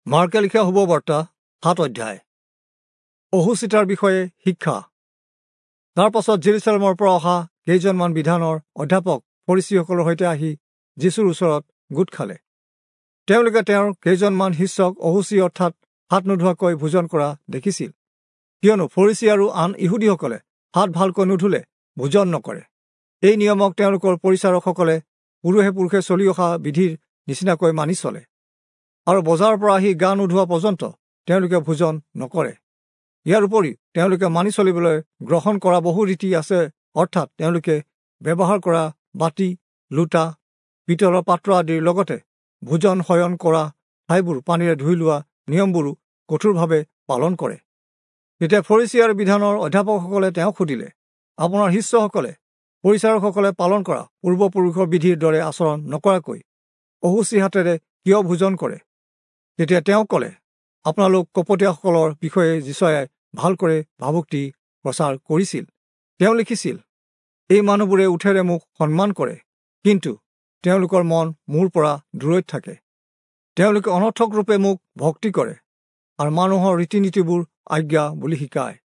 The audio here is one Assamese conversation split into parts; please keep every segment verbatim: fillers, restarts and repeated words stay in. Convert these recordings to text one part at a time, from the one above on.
মাৰ্কে লিখা শুভবাৰ্তা সাত অধ্যায়। অশুচিতাৰ বিষয়ে শিক্ষা। তাৰ পাছত জেৰুচালেমৰ পৰা অহা কেইজনমান বিধানৰ অধ্যাপক ফৰীচীসকলৰ সৈতে আহি যীশুৰ ওচৰত গোট খালে। তেওঁলোকে তেওঁৰ কেইজনমান শিষ্যক অশুচি অৰ্থাৎ হাত নোধোৱাকৈ ভোজন কৰা দেখিছিল, কিয়নো ফৰীচী আৰু আন ইহুদীসকলে হাত ভালকৈ নুধুলে ভোজন নকৰে। এই নিয়মক তেওঁলোকৰ পৰিচাৰকসকলে পুৰুষে পুৰুষে চলি অহা বিধিৰ নিচিনাকৈ মানি চলে আৰু বজাৰৰ পৰা আহি গা নোধোৱা পৰ্যন্ত তেওঁলোকে ভোজন নকৰে। ইয়াৰ উপৰি তেওঁলোকে মানি চলিবলৈ গ্ৰহণ কৰা বহু ৰীতি আছে, অৰ্থাৎ তেওঁলোকে ব্যৱহাৰ কৰা বাতি, লোটা, পিতলৰ পাত্ৰ আদিৰ লগতে ভোজন শয়ন কৰা ঠাইবোৰ পানীৰে ধুই লোৱা নিয়মবোৰো কঠোৰভাৱে পালন কৰে। তেতিয়া ফৰীচী আৰু বিধানৰ অধ্যাপকসকলে তেওঁক সুধিলে, আপোনাৰ শিষ্যসকলে পৰিচাৰকসকলে পালন কৰা পূৰ্বপুৰুষৰ বিধিৰ দৰে আচৰণ নকৰাকৈ অশুচি হাতেৰে কিয় ভোজন কৰে? তেতিয়া তেওঁ ক'লে, আপোনালোক কপটীয়াসকলৰ বিষয়ে যিচয়াই ভালকৰে ভাবুক্তি প্ৰচাৰ কৰিছিল। তেওঁ লিখিছিল, এই মানুহবোৰে ওঠেৰে মোক সন্মান কৰে, কিন্তু তেওঁলোকৰ মন মোৰ পৰা দূৰৈত থাকে। তেওঁলোকে অনৰ্থকৰূপে মোক ভক্তি কৰে আৰু মানুহৰ ৰীতি নীতিবোৰ আজ্ঞা বুলি শিকায়।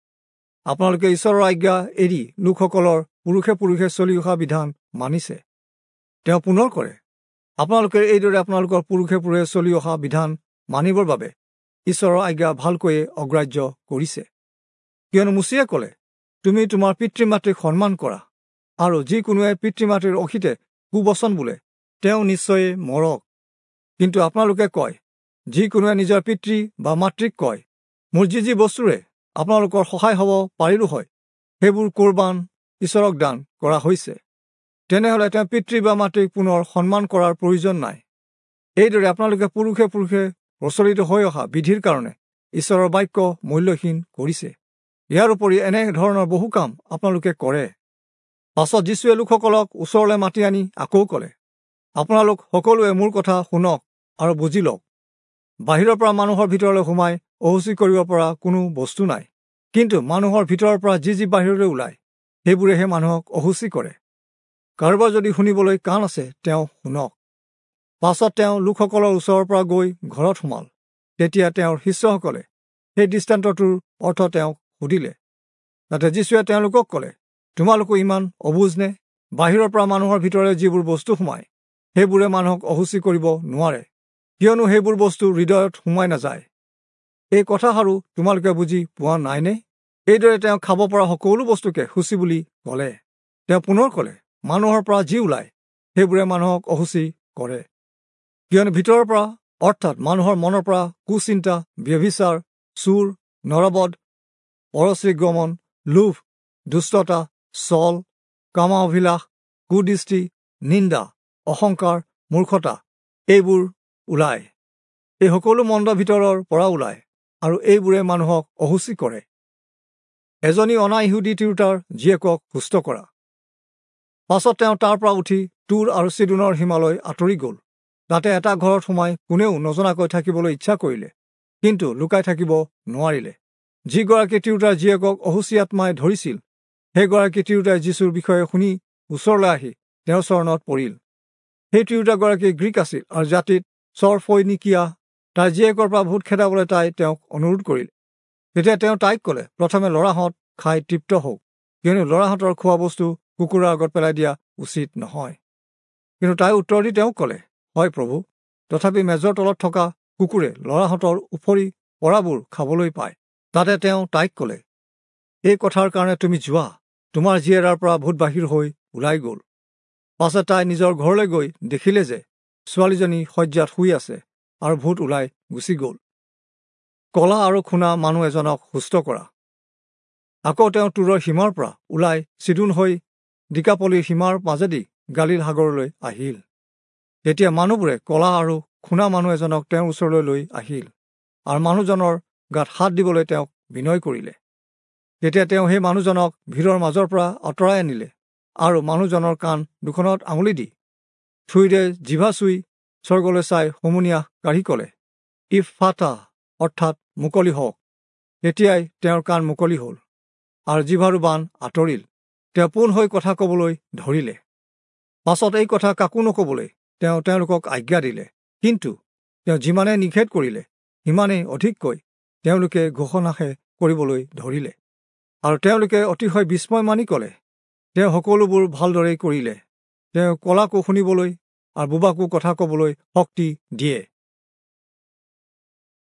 আপোনালোকে ঈশ্বৰৰ আজ্ঞা এৰি লোকসকলৰ পুৰুষে পুৰুষে চলি অহা বিধান মানিছে। তেওঁ পুনৰ কৰে, আপোনালোকে এইদৰে আপোনালোকৰ পুৰুষে পুৰুষে চলি অহা বিধান মানিবৰ বাবে ঈশ্বৰৰ আজ্ঞা ভালকৈয়ে অগ্ৰাহ্য কৰিছে। কিয়নো মোচিয়ে ক'লে, তুমি তোমাৰ পিতৃ মাতৃক সন্মান কৰা, আৰু যিকোনোৱে পিতৃ মাতৃৰ অহিতে কুবচন বোলে তেওঁ নিশ্চয়ে মৰক। কিন্তু আপোনালোকে কয়, যিকোনোৱে নিজৰ পিতৃ বা মাতৃক কয়, মোৰ যি যি বস্তুৰে আপোনালোকৰ সহায় হ'ব পাৰিলো হয়, সেইবোৰ কোৰবান ঈশ্বৰক দান কৰা হৈছে, তেনেহ'লে তেওঁ পিতৃ বা মাতৃক পুনৰ সন্মান কৰাৰ প্ৰয়োজন নাই। এইদৰে আপোনালোকে পুৰুষে পুৰুষে প্ৰচলিত হৈ অহা বিধিৰ কাৰণে ঈশ্বৰৰ বাক্য মূল্যহীন কৰিছে। ইয়াৰ উপৰি এনে ধৰণৰ বহু কাম আপোনালোকে কৰে। পাছত যীশুৱে লোকসকলক ওচৰলৈ মাতি আনি আকৌ ক'লে, আপোনালোক সকলোৱে মোৰ কথা শুনক আৰু বুজি লওক। বাহিৰৰ পৰা মানুহৰ ভিতৰলৈ সোমাই অশুচি কৰিব পৰা কোনো বস্তু নাই, কিন্তু মানুহৰ ভিতৰৰ পৰা যি যি বাহিৰলৈ ওলায় সেইবোৰেহে মানুহক অশুচি কৰে। কাৰোবাৰ যদি শুনিবলৈ কাণ আছে তেওঁ শুনক। পাছত তেওঁ লোকসকলৰ ওচৰৰ পৰা গৈ ঘৰত সোমাল। তেতিয়া তেওঁৰ শিষ্যসকলে সেই দৃষ্টান্তটোৰ অৰ্থ তেওঁক সুধিলে। তাতে যীশুৱে তেওঁলোকক ক'লে, তোমালোকো ইমান অবুজ নে? বাহিৰৰ পৰা মানুহৰ ভিতৰলৈ যিবোৰ বস্তু সোমায় সেইবোৰে মানুহক অশুচি কৰিব নোৱাৰে, কিয়নো সেইবোৰ বস্তু হৃদয়ত সোমাই নাযায়। এই কথাষাৰো তোমালোকে বুজি পোৱা নাইনে? এইদৰে তেওঁ খাব পৰা সকলো বস্তুকে শুচি বুলি ক'লে। তেওঁ পুনৰ ক'লে, মানুহৰ পৰা যি ওলায় সেইবোৰে মানুহক অশুচি কৰে, কিয়নো ভিতৰৰ পৰা অৰ্থাৎ মানুহৰ মনৰ পৰা কুচিন্তা, ব্যভিচাৰ, চুৰ, নৰবধ, পৰশ্ৰীগমন, লোভ, দুষ্টতা, ছল, কামাঅভিলাষ, কুদৃষ্টি, নিন্দা, অহংকাৰ, মূৰ্খতা এইবোৰ ওলায়। এই সকলো মন্দ ভিতৰৰ পৰা ওলায় আৰু এইবোৰে মানুহক অশুচি কৰে। এজনী অনা ইহুদী তিৰোতাৰ জীয়েকক সুস্থ কৰা। পাছত তেওঁ তাৰ পৰা উঠি তুৰ আৰু চিদোনৰ সীমালৈ আঁতৰি গ'ল। তাতে এটা ঘৰত সোমাই কোনেও নজনাকৈ থাকিবলৈ ইচ্ছা কৰিলে, কিন্তু লুকাই থাকিব নোৱাৰিলে। যিগৰাকী তিৰোতাৰ জীয়েকক অশুচি আত্মাই ধৰিছিল, সেইগৰাকী তিৰোতাই যীশুৰ বিষয়ে শুনি ওচৰলৈ আহি তেওঁৰ চৰণত পৰিল। সেই তিৰোতাগৰাকী গ্ৰীক আছিল আৰু জাতিত চৰফৈনিকীয়া। তাইৰ জীয়েকৰ পৰা ভূত খেদাবলৈ তাই তেওঁক অনুৰোধ কৰিলে। তেতিয়া তেওঁ তাইক ক'লে, প্ৰথমে ল'ৰাহঁত খাই তৃপ্ত হওক, কিয়নো ল'ৰাহঁতৰ খোৱা বস্তু কুকুৰৰ আগত পেলাই দিয়া উচিত নহয়। কিন্তু তাই উত্তৰ দি তেওঁক ক'লে, হয় প্ৰভু, তথাপি মেজৰ তলত থকা কুকুৰে ল'ৰাহঁতৰ উফৰি পৰাবোৰ খাবলৈ পায়। তাতে তেওঁ তাইক ক'লে, এই কথাৰ কাৰণে তুমি যোৱা, তোমাৰ জীয়েৰাৰ পৰা ভূত বাহিৰ হৈ ওলাই গ'ল। পাছে তাই নিজৰ ঘৰলৈ গৈ দেখিলে যে ছোৱালীজনী শয্যাত শুই আছে আৰু ভূত ওলাই গুচি গ'ল। কলা আৰু খুনা মানুহ এজনক সুস্থ কৰা। আকৌ তেওঁ তুৰৰ সীমাৰ পৰা ওলাই চিদোন হৈ ডিকাপলিৰ সীমাৰ মাজেদি গালিল সাগৰলৈ আহিল। তেতিয়া মানুহবোৰে কলা আৰু খুনা মানুহ এজনক তেওঁৰ ওচৰলৈ লৈ আহিল আৰু মানুহজনৰ গাত হাত দিবলৈ তেওঁক বিনয় কৰিলে। তেতিয়া তেওঁ সেই মানুহজনক ভিৰৰ মাজৰ পৰা আঁতৰাই আনিলে আৰু মানুহজনৰ কাণ দুখনত আঙুলি দি থুইৰে জিভা চুই স্বৰ্গলৈ চাই হুমুনিয়াহ কাঢ়ি ক'লে, ইফাতা, অৰ্থাৎ মুকলি হওক। তেতিয়াই তেওঁৰ কাণ মুকলি হ'ল আৰু জিভাৰো বান আঁতৰিল। তেওঁ পোন হৈ কথা ক'বলৈ ধৰিলে। পাছত এই কথা কাকো নক'বলৈ তেওঁ তেওঁলোকক আজ্ঞা দিলে, কিন্তু তেওঁ যিমানে নিষেধ কৰিলে সিমানেই অধিককৈ তেওঁলোকে ঘোষণাহে কৰিবলৈ ধৰিলে। আৰু তেওঁলোকে অতিশয় বিস্ময় মানি ক'লে, তেওঁ সকলোবোৰ ভালদৰেই কৰিলে, তেওঁ কলাকো শুনিবলৈ আৰু বোবাকো কথা ক'বলৈ শক্তি দিয়ে।